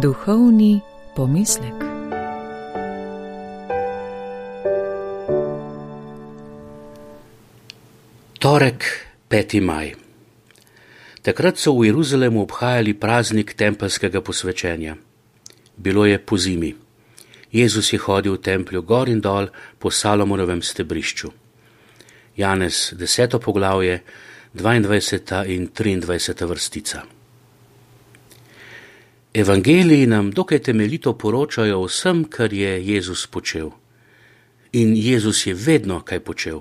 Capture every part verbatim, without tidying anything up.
Duhovni pomislek. Torek, peti maj. Takrat so v Jeruzalemu obhajali praznik tempeljskega posvečenja. Bilo je pozimi. Jezus je hodil v templju gor in dol po Salomonovem stebrišču. Janez, deseto poglavje, dvaindvajseta in triindvajseta vrstica. Evangeliji nam dokaj temeljito poročajo o vsem, kar je Jezus počel. In Jezus je vedno kaj počel.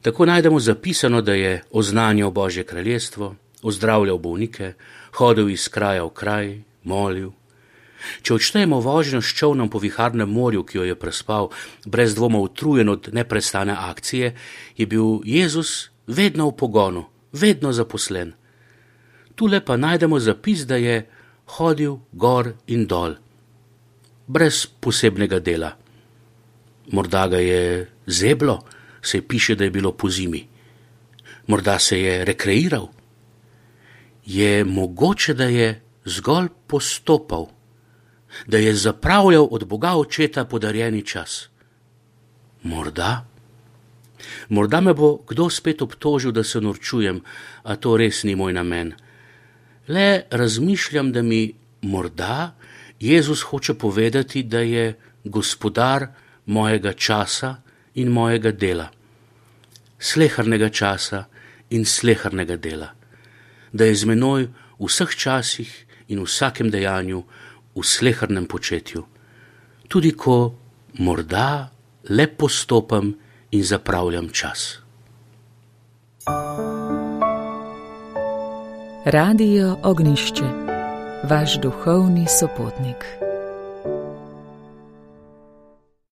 Tako najdemo zapisano, da je oznanjal Božje kraljestvo, ozdravljal bolnike, hodil iz kraja v kraj, molil. Če odštejemo vožnjo s čolnom po viharnem morju, ki jo je prespal, brez dvoma utrujen od neprestane akcije, je bil Jezus vedno v pogonu, vedno zaposlen. Tule pa najdemo zapis, da je hodil gor in dol, brez posebnega dela. Morda ga je zeblo, se piše, da je bilo pozimi. Morda se je rekreiral. Je mogoče, da je zgolj postopal, da je zapravljal od Boga Očeta podarjeni čas. Morda? Morda me bo kdo spet obtožil, da se norčujem, a to res ni moj namen. Le razmišljam, da mi morda Jezus hoče povedati, da je gospodar mojega časa in mojega dela, slehrnega časa in slehrnega dela, da je z menoj v vseh časih in v vsakem dejanju, v slehrnem početju, tudi ko morda le postopam in zapravljam čas. Radio Ognjišče, vaš duhovni sopotnik.